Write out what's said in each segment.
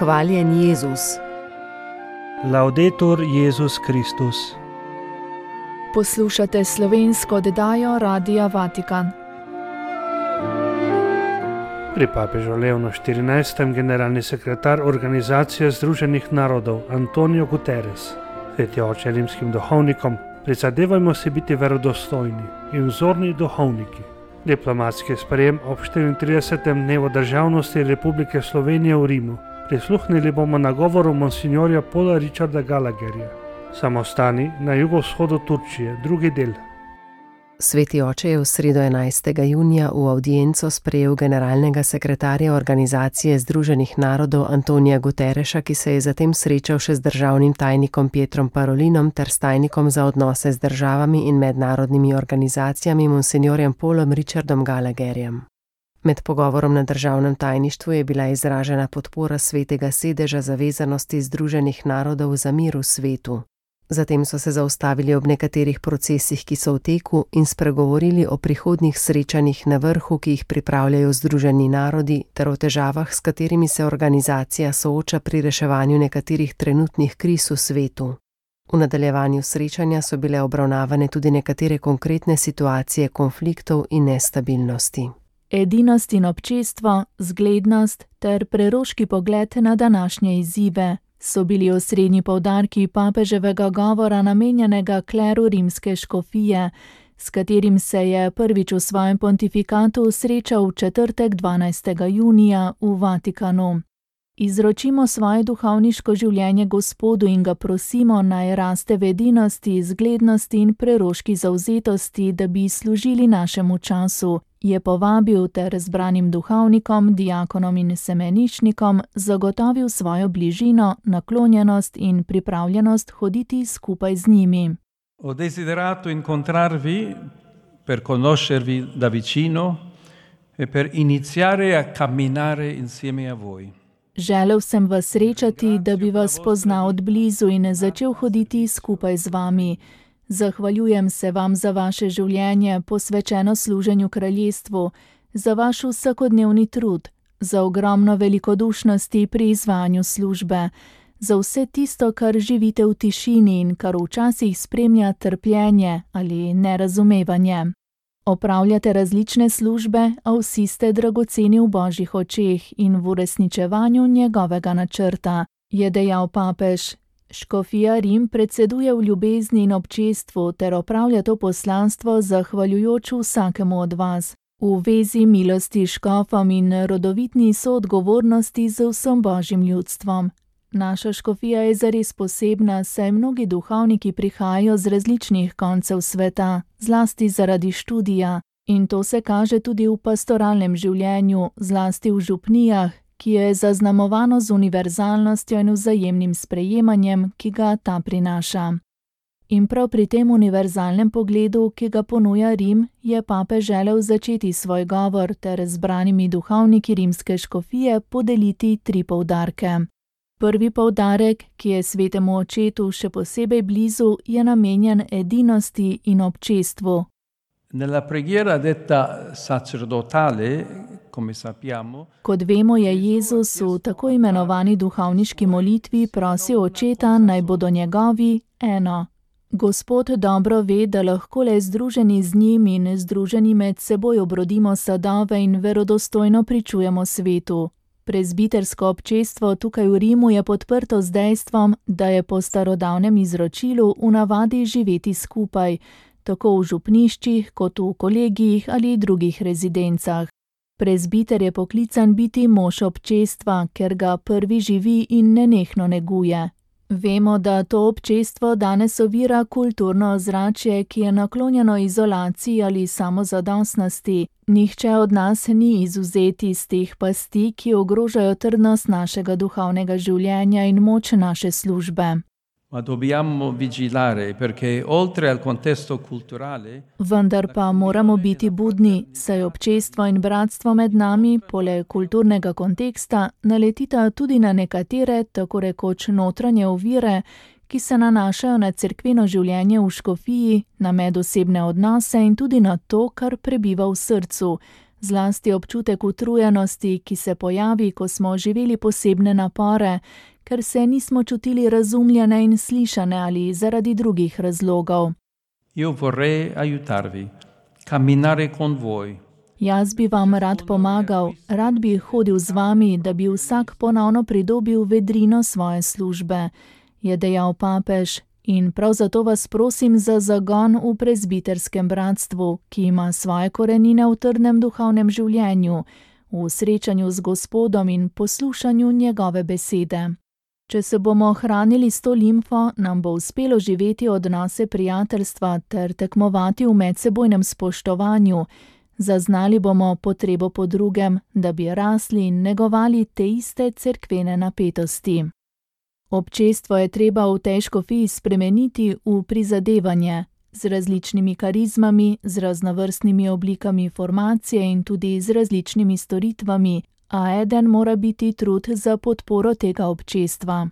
Hvaljen Jezus. Laudetur Jezus Kristus. Poslušate slovensko oddajo Radia Vatikan. Pri papežu Leonu XIV. Generalni sekretar Organizacije Združenih narodov Antonio Guterres, sveti oče rimskim duhovnikom, prizadevajmo se biti verodostojni in vzorni duhovniki. Diplomatski sprejem ob 34. dnevu državnosti Republike Slovenije v Rimu. Prisluhnili bomo nagovoru monsignorja Paula Richarda Gallagherja. Samostani na jugovzhodu Turčije, drugi del. Sveti oče je v sredo 11. junija v avdienco sprejel generalnega sekretarja Organizacije Združenih narodov Antonija Guterresa, ki se je zatem srečal še z državnim tajnikom Pietrom Parolinom ter s tajnikom za odnose z državami in mednarodnimi organizacijami monsignorjem Paulom Richardom Gallagherjem. Med pogovorom na državnem tajništvu je bila izražena podpora svetega sedeža zavezanosti Združenih narodov za mir v svetu. Zatem so se zaustavili ob nekaterih procesih, ki so v teku, in spregovorili o prihodnjih srečanjih na vrhu, ki jih pripravljajo Združeni narodi, ter o težavah, s katerimi se organizacija sooča pri reševanju nekaterih trenutnih kriz v svetu. V nadaljevanju srečanja so bile obravnavane tudi nekatere konkretne situacije konfliktov in nestabilnosti. Edinost in občestvo, zglednost ter preroški pogled na današnje izzive so bili osrednji poudarki papeževega govora namenjenega kleru rimske škofije, s katerim se je prvič v svojem pontifikatu srečal v četrtek 12. junija v Vatikanu. Izročimo svoje duhovniško življenje Gospodu in ga prosimo, naj raste v edinosti, zglednosti in preroški zavzetosti, da bi služili našemu času, je povabil ter zbranim duhovnikom, diakonom in semenišnikom zagotovil svojo bližino, naklonjenost in pripravljenost hoditi skupaj z njimi. Ho desiderato incontrarvi per conoscervi da vicino e per iniziare a camminare insieme a voi. Želel sem vas srečati, da bi vas poznal od blizu in začel hoditi skupaj z vami. Zahvaljujem se vam za vaše življenje, posvečeno služenju kraljestvu, za vaš vsakodnevni trud, za ogromno velikodušnosti pri izvajanju službe, za vse tisto, kar živite v tišini in kar včasih spremlja trpljenje ali nerazumevanje. Opravljate različne službe, a vsi ste dragoceni v Božjih očeh in v uresničevanju njegovega načrta, je dejal papež. Škofija Rim predseduje v ljubezni in občestvu ter opravlja to poslanstvo zahvaljujoč vsakemu od vas, v vezi milosti škofom in rodovitni soodgovornosti z vsem Božjim ljudstvom. Naša škofija je zares posebna, saj mnogi duhovniki prihajajo z različnih koncev sveta, zlasti zaradi študija, in to se kaže tudi v pastoralnem življenju, zlasti v župnijah, ki je zaznamovano z univerzalnostjo in vzajemnim sprejemanjem, ki ga ta prinaša. In prav pri tem univerzalnem pogledu, ki ga ponuja Rim, je papež želel začeti svoj govor ter zbranimi duhovniki rimske škofije podeliti 3 poudarke. Prvi poudarek, ki je svetemu očetu še posebej blizu, je namenjen edinosti in občestvu. Nella preghiera detta sacerdotale, come sappiamo, Kot vemo, je Jezus v tako imenovani duhovniški molitvi prosil očeta, naj bodo njegovi eno. Gospod dobro ve, da lahko le združeni z njim in združeni med seboj obrodimo sadove in verodostojno pričujemo svetu. Prezbitersko občestvo tukaj v Rimu je podprto z dejstvom, da je po starodavnem izročilu v navadi živeti skupaj, tako v župniščih kot v kolegijih ali drugih rezidencah. Prezbiter je poklican biti mož občestva, ker ga prvi živi in nenehno neguje. Vemo, da to občestvo danes ovira kulturno ozračje, ki je naklonjeno izolaciji ali samozadostnosti. Nihče od nas ni izvzet iz teh pasti, ki ogrožajo trdnost našega duhovnega življenja in moč naše službe. ma dobbiamo vigilare perché oltre al contesto culturale Vendar pa moramo biti budni, saj občestvo in bratstvo med nami, poleg kulturnega konteksta, naletita tudi na nekatere, tako rekoč notranje ovire, ki se nanašajo na cerkveno življenje v škofiji, na medosebne odnose in tudi na to, kar prebiva v srcu, Zlasti občutek utrujenosti, ki se pojavi, ko smo živeli posebne napore, ker se nismo čutili razumljene in slišane ali zaradi drugih razlogov. Io vorrei aiutarvi, camminare con voi. Jaz bi vam rad pomagal, rad bi hodil z vami, da bi vsak ponovno pridobil vedrino svoje službe, je dejal papež. In prav zato vas prosim za zagon v prezbiterskem bratstvu, ki ima svoje korenine v trdnem duhovnem življenju, v srečanju z Gospodom in poslušanju njegove besede. Če se bomo hranili s to limfo, nam bo uspelo živeti odnose prijateljstva ter tekmovati v medsebojnem spoštovanju. Zaznali bomo potrebo po drugem, da bi rasli in negovali te iste cerkvene napetosti. Občestvo je treba v tej škofiji spremeniti v prizadevanje, z različnimi karizmami, z raznovrstnimi oblikami formacije in tudi z različnimi storitvami, a eden mora biti trud za podporo tega občestva.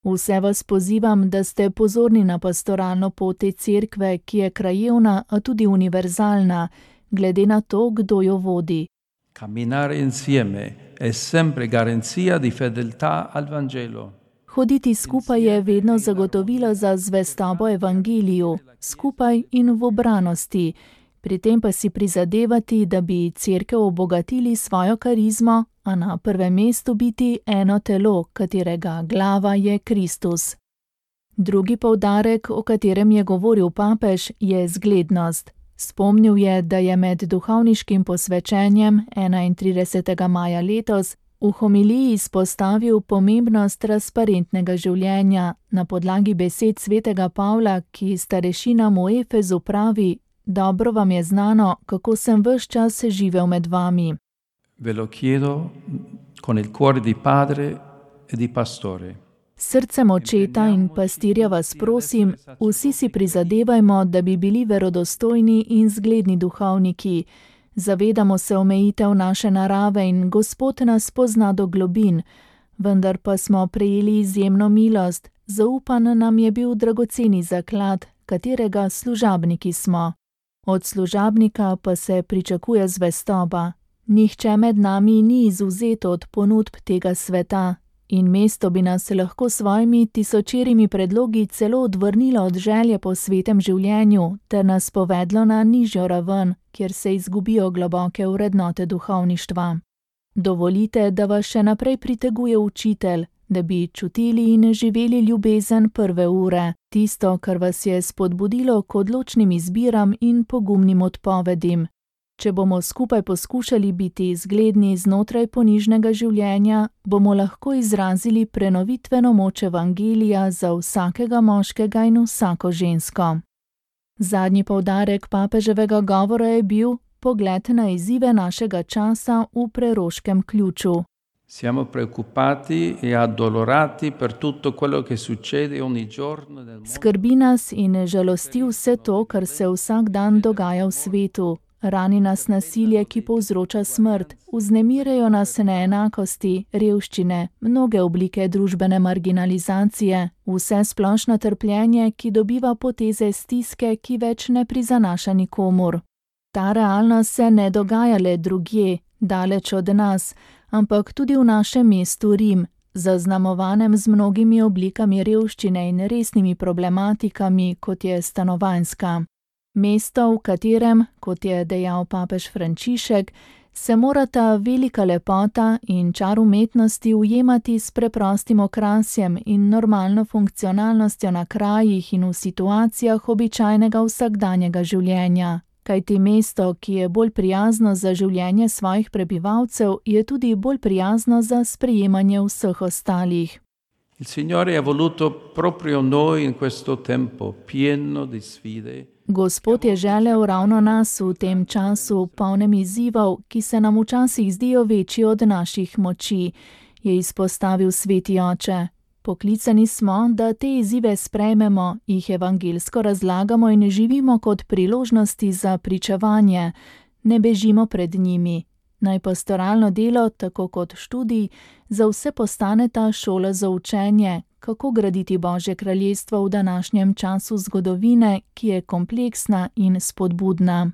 Vse vas pozivam, da ste pozorni na pastoralno pot te cerkve, ki je krajevna, a tudi univerzalna, glede na to, kdo jo vodi. Camminare insieme è sempre garanzia di fedeltà al Vangelo. Hoditi skupaj je vedno zagotovilo za zvestobo evangeliju, skupaj in v obranosti. Pri tem pa si prizadevati, da bi cerkev obogatili svojo karizmo, a na prvem mestu biti eno telo, katerega glava je Kristus. Drugi poudarek, o katerem je govoril papež, je zglednost. Spomnil je, da je med duhovniškim posvečenjem 31. maja letos v homiliji izpostavil pomembnost transparentnega življenja na podlagi besed svetega Pavla, ki starešinam v Efezu pravi: dobro vam je znano, kako sem ves čas živel med vami. Ve lo chiedo con il cuore di padre e di pastore. Srcem očeta in pastirja vas prosim, vsi si prizadevajmo, da bi bili verodostojni in zgledni duhovniki. Zavedamo se omejitev naše narave in Gospod nas pozna do globin, vendar pa smo prejeli izjemno milost, zaupan nam je bil dragoceni zaklad, katerega služabniki smo. Od služabnika pa se pričakuje zvestoba. Nihče med nami ni izvzet od ponudb tega sveta in mesto bi nas lahko s svojimi tisočerimi predlogi celo odvrnilo od želje po svetem življenju ter nas povedlo na nižjo raven, kjer se izgubijo globoke vrednote duhovništva. Dovolite, da vas še naprej priteguje učitelj, da bi čutili in živeli ljubezen prve ure, tisto, kar vas je spodbudilo k odločnim izbiram in pogumnim odpovedim. Če bomo skupaj poskušali biti zgledni znotraj ponižnega življenja, bomo lahko izrazili prenovitveno moč evangelija za vsakega moškega in vsako žensko. Zadnji poudarek papeževega govora je bil pogled na izzive našega časa v preroškem ključu. Siamo preoccupati e addolorati per tutto quello che succede ogni giorno nel mondo. Skrbi nas in žalosti vse to, kar se vsak dan dogaja v svetu. Rani nas nasilje, ki povzroča smrt, vznemirajo nas neenakosti, revščine, mnoge oblike družbene marginalizacije, vse splošno trpljenje, ki dobiva poteze stiske, ki več ne prizanaša nikomur. Ta realnost se ne dogaja le drugje, daleč od nas, ampak tudi v našem mestu Rim, zaznamovanem z mnogimi oblikami revščine in resnimi problematikami, kot je stanovanjska. Mesto, v katerem, kot je dejal papež Frančišek, se morata velika lepota in čar umetnosti ujemati s preprostim okrasjem in normalno funkcionalnostjo na krajih in v situacijah običajnega vsakdanjega življenja. Kajti mesto, ki je bolj prijazno za življenje svojih prebivalcev, je tudi bolj prijazno za sprejemanje vseh ostalih. Il Signore ha voluto proprio noi in questo tempo pieno di sfide. Gospod je želel ravno nas v tem času, polnem izzivov, ki se nam včasih zdijo večji od naših moči, je izpostavil sveti oče. Poklicani smo, da te izzive sprejmemo, jih evangelsko razlagamo in živimo kot priložnosti za pričevanje, ne bežimo pred njimi. Naj pastoralno delo, tako kot študij, za vse postane ta šola za učenje, kako graditi Božje kraljestvo v današnjem času zgodovine, ki je kompleksna in spodbudna.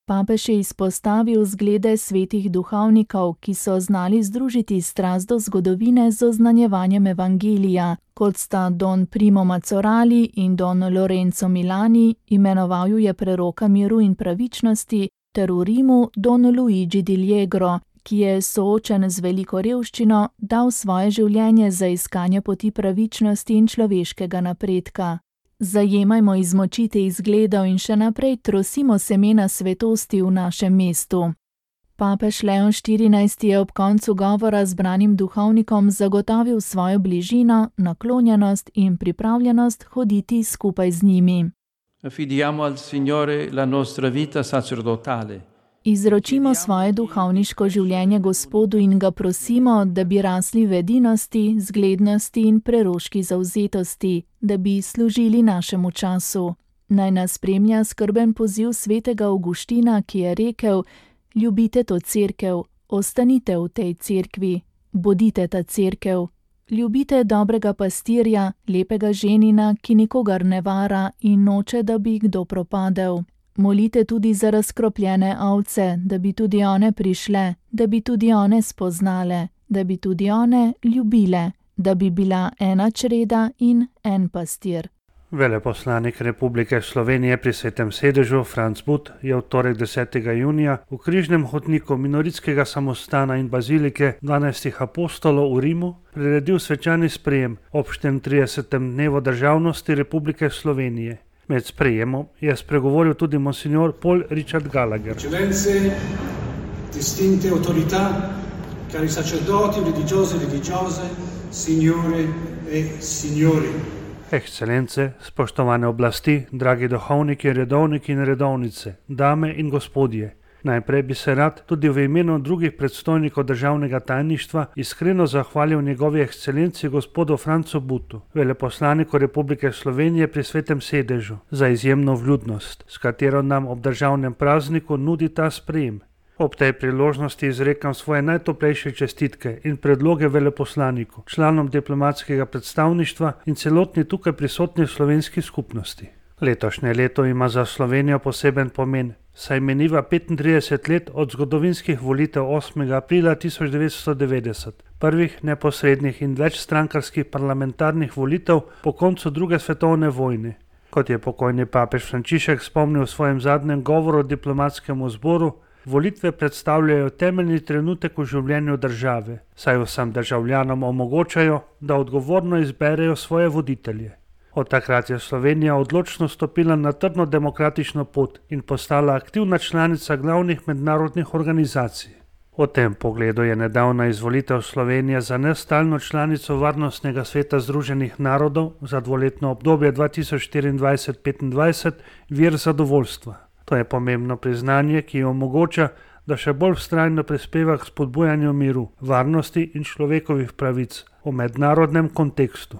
Papež je izpostavil zglede svetih duhovnikov, ki so znali združiti strast do zgodovine z oznanjevanjem evangelija, kot sta Don Primo Mazzorali in Don Lorenzo Milani, imenoval ju je preroka miru in pravičnosti, ter v Rimu Don Luigi di Liegro, ki je soočen z veliko revščino, dal svoje življenje za iskanje poti pravičnosti in človeškega napredka. Zajemajmo izmočite izgledov in še naprej trosimo semena svetosti v našem mestu. Papež Leon XIV je ob koncu govora zbranim duhovnikom zagotovil svojo bližino, naklonjenost in pripravljenost hoditi skupaj z njimi. Affidiamo al Signore la nostra vita sacerdotale. Izročimo svoje duhovniško življenje Gospodu in ga prosimo, da bi rasli v edinosti, zglednosti in preroški zavzetosti, da bi služili našemu času. Naj nas spremlja skrben poziv svetega Avguština, ki je rekel: ljubite to cerkev, ostanite v tej cerkvi, bodite ta cerkev. Ljubite dobrega pastirja, lepega ženina, ki nikogar ne vara in noče, da bi kdo propadel. Molite tudi za razkropljene ovce, da bi tudi one prišle, da bi tudi one spoznale, da bi tudi one ljubile, da bi bila ena čreda in en pastir. Veleposlanik Republike Slovenije pri Svetem sedežu Franc But je v torek 10. junija v križnem hodniku minoritskega samostana in bazilike 12 apostolov v Rimu priredil svečani sprejem ob 34. dnevu državnosti Republike Slovenije. Med sprejemom je spregovoril tudi monsignor Paul Richard Gallagher. Eccellenze, distinte autorità, cari sacerdoti, religiose, signore e signori. Ekscelence, spoštovane oblasti, dragi duhovniki, redovniki in redovnice, dame in gospodje. Najprej bi se rad tudi v imenu drugih predstojnikov državnega tajništva iskreno zahvalil njegovi ekscelenci gospodu Francu Butu, veleposlaniku Republike Slovenije pri Svetem sedežu, za izjemno vljudnost, s katero nam ob državnem prazniku nudi ta sprejem. Ob tej priložnosti izrekam svoje najtoplejše čestitke in predloge veleposlaniku, članom diplomatskega predstavništva in celotni tukaj prisotni slovenski skupnosti. Letošnje leto ima za Slovenijo poseben pomen, saj meniva 35 let od zgodovinskih volitev 8. aprila 1990, prvih neposrednih in večstrankarskih parlamentarnih volitev po koncu druge svetovne vojne. Kot je pokojni papež Frančišek spomnil v svojem zadnjem govoru diplomatskemu zboru, volitve predstavljajo temeljni trenutek v življenju države, saj vsem državljanom omogočajo, da odgovorno izberejo svoje voditelje. Od takrat je Slovenija odločno stopila na trdno demokratično pot in postala aktivna članica glavnih mednarodnih organizacij. V tem pogledu je nedavna izvolitev Slovenije za nestalno članico Varnostnega sveta Združenih narodov za dvoletno obdobje 2024-2025 vir zadovoljstva. To je pomembno priznanje, ki omogoča, da še bolj vztrajno prispeva k spodbujanju miru, varnosti in človekovih pravic v mednarodnem kontekstu.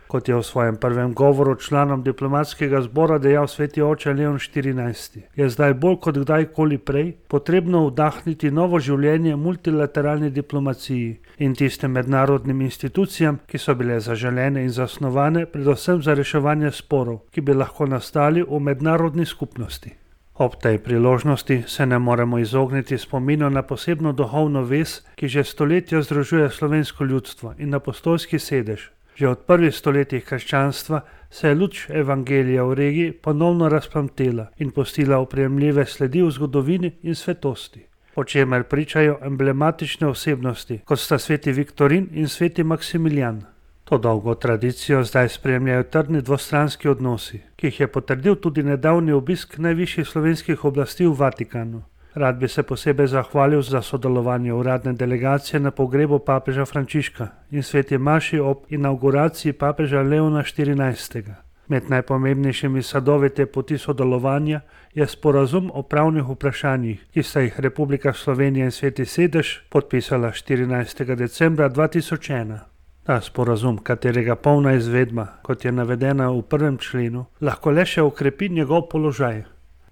Kot je v svojem prvem govoru članom diplomatskega zbora dejal sveti oče Leon XIV, je zdaj bolj kot kdajkoli prej potrebno vdahniti novo življenje multilateralni diplomaciji in tistim mednarodnim institucijam, ki so bile zaželene in zasnovane predvsem za reševanje sporov, ki bi lahko nastali v mednarodni skupnosti. Ob tej priložnosti se ne moremo izogniti spominu na posebno duhovno vez, ki že stoletja združuje slovensko ljudstvo in apostolski sedež. Že od prvih stoletij krščanstva se je luč evangelija v regiji ponovno razplamtela in pustila oprijemljive sledi v zgodovini in svetosti, o čemer pričajo emblematične osebnosti, kot sta sveti Viktorin in sveti Maksimilijan. To dolgo tradicijo zdaj spremljajo trdni dvostranski odnosi, ki jih je potrdil tudi nedavni obisk najvišjih slovenskih oblasti v Vatikanu. Rad bi se posebej zahvalil za sodelovanje uradne delegacije na pogrebu papeža Frančiška in sveti maši ob inauguraciji papeža Leona XIV. Med najpomembnejšimi sadovi te poti sodelovanja je sporazum o pravnih vprašanjih, ki sta jih Republika Slovenija in sveti sedež podpisala 14. decembra 2001. Ta sporazum, katerega polna izvedba, kot je navedena v 1. členu, lahko le še okrepi njegov položaj.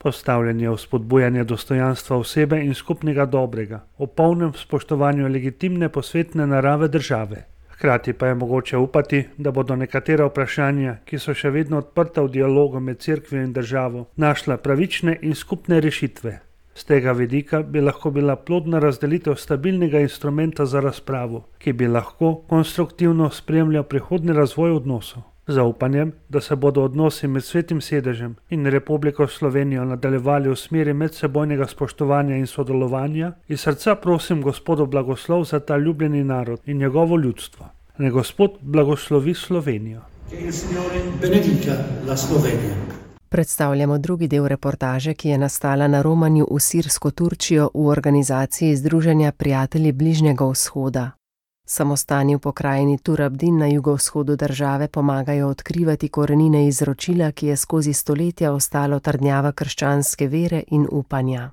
Postavljen je v spodbujanje dostojanstva osebe in skupnega dobrega, o polnem spoštovanju legitimne posvetne narave države. Hkrati pa je mogoče upati, da bodo nekatera vprašanja, ki so še vedno odprta v dialogu med cerkvijo in državo, našla pravične in skupne rešitve. Z tega vidika bi lahko bila plodna razdelitev stabilnega instrumenta za razpravo, ki bi lahko konstruktivno spremljal prihodnji razvoj odnosov. Z upanjem, da se bodo odnosi med Svetim sedežem in Republiko Slovenijo nadaljevali v smeri medsebojnega spoštovanja in sodelovanja, iz srca prosim Gospodov blagoslov za ta ljubljeni narod in njegovo ljudstvo. Naj Gospod blagoslovi Slovenijo. Predstavljamo drugi del reportaže, ki je nastala na romanju v sirsko Turčijo v organizaciji Združenja prijatelji Bližnjega vzhoda. Samostani v pokrajini Turabdin na jugovzhodu države pomagajo odkrivati korenine izročila, ki je skozi stoletja ostalo trdnjava krščanske vere in upanja.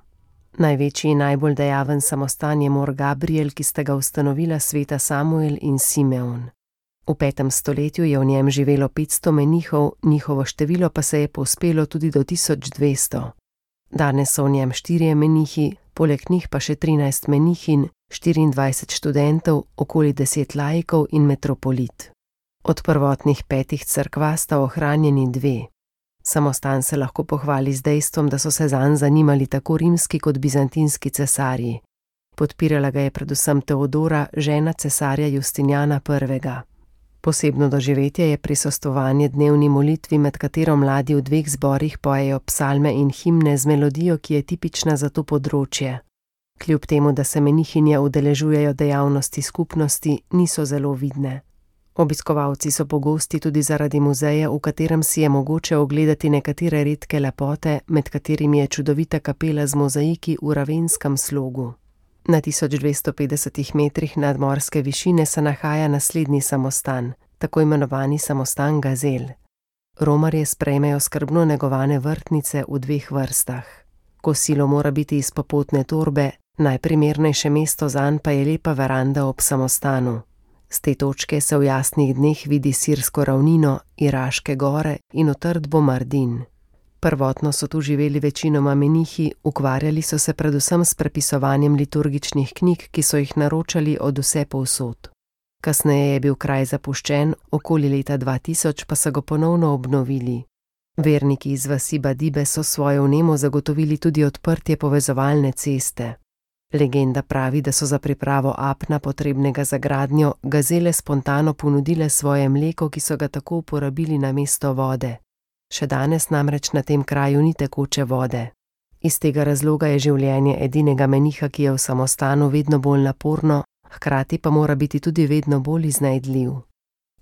Največji in najbolj dejaven samostan je Mor Gabriel, ki sta ga ustanovila sveta Samuel in Simeon. V 5. stoletju je v njem živelo 500 menihov, njihovo število pa se je povzpelo tudi do 1200. Danes so v njem 4 menihi, poleg njih pa še 13 menihin, 24 študentov, okoli 10 laikov in metropolit. Od prvotnih 5 cerkva sta ohranjeni 2. Samostan se lahko pohvali z dejstvom, da so se zanj zanimali tako rimski kot bizantinski cesarji. Podpirala ga je predvsem Teodora, žena cesarja Justinjana I. Posebno doživetje je prisostvovanje dnevni molitvi, med katero mladi v 2 zborih pojejo psalme in himne z melodijo, ki je tipična za to področje. Kljub temu, da se menihinje udeležujejo dejavnosti skupnosti, niso zelo vidne. Obiskovalci so pogosti tudi zaradi muzeja, v katerem si je mogoče ogledati nekatere redke lepote, med katerimi je čudovita kapela z mozaiki v ravenskem slogu. Na 1250 metrih nadmorske višine se nahaja naslednji samostan, tako imenovani samostan Gazel. Romarje sprejmejo skrbno negovane vrtnice v 2 vrstah. Kosilo mora biti iz popotne torbe, najprimernejše mesto zanj pa je lepa veranda ob samostanu. Z te točke se v jasnih dneh vidi sirsko ravnino, Iraške gore in utrdbo Mardin. Prvotno so tu živeli večinoma menihi, ukvarjali so se predvsem s prepisovanjem liturgičnih knjig, ki so jih naročali od vse povsod. Kasneje je bil kraj zapuščen, okoli leta 2000 pa so ga ponovno obnovili. Verniki iz vasi Badibe so svojo vnemo zagotovili tudi odprtje povezovalne ceste. Legenda pravi, da so za pripravo apna, potrebnega za gradnjo, gazele spontano ponudile svoje mleko, ki so ga tako uporabili namesto vode. Še danes namreč na tem kraju ni tekoče vode. Iz tega razloga je življenje edinega meniha, ki je v samostanu, vedno bolj naporno, hkrati pa mora biti tudi vedno bolj iznajdljiv.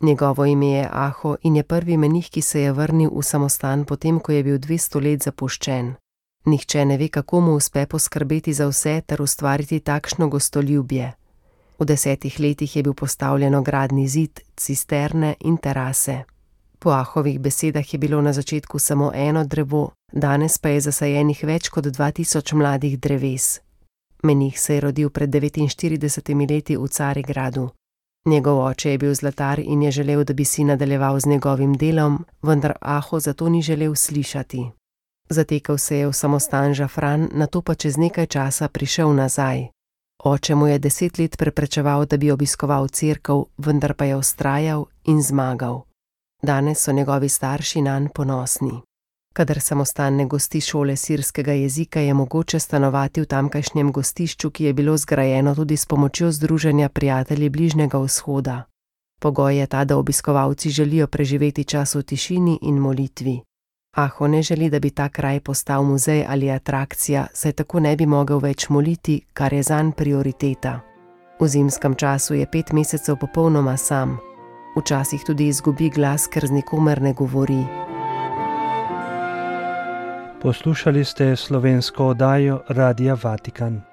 Njegovo ime je Aho in je prvi menih, ki se je vrnil v samostan potem, ko je bil 200 let zapuščen. Nihče ne ve, kako mu uspe poskrbeti za vse ter ustvariti takšno gostoljubje. V 10 letih je bil postavljen ogradni zid, cisterne in terase. Po Ahovih besedah je bilo na začetku samo eno drevo, danes pa je zasajenih več kot 2000 mladih dreves. Menih se je rodil pred 49 leti v Carigradu. Njegov oče je bil zlatar in je želel, da bi si nadaljeval z njegovim delom, vendar Aho zato ni želel slišati. Zatekel se je v samostan žafran, nato pa čez nekaj časa prišel nazaj. Oče mu je 10 let preprečeval, da bi obiskoval cerkev, vendar pa je vztrajal in zmagal. Danes so njegovi starši nanj ponosni. Kadar samostan ne gosti šole sirskega jezika, je mogoče stanovati v tamkajšnjem gostišču, ki je bilo zgrajeno tudi s pomočjo Združenja prijatelji Bližnjega vzhoda. Pogoj je ta, da obiskovalci želijo preživeti čas v tišini in molitvi. Aho ne želi, da bi ta kraj postal muzej ali atrakcija, saj tako ne bi mogel več moliti, kar je zanj prioriteta. V zimskem času je 5 mesecev popolnoma sam. Včasih tudi izgubi glas, ker z nikomer ne govori. Poslušali ste slovensko oddajo Radia Vatikan.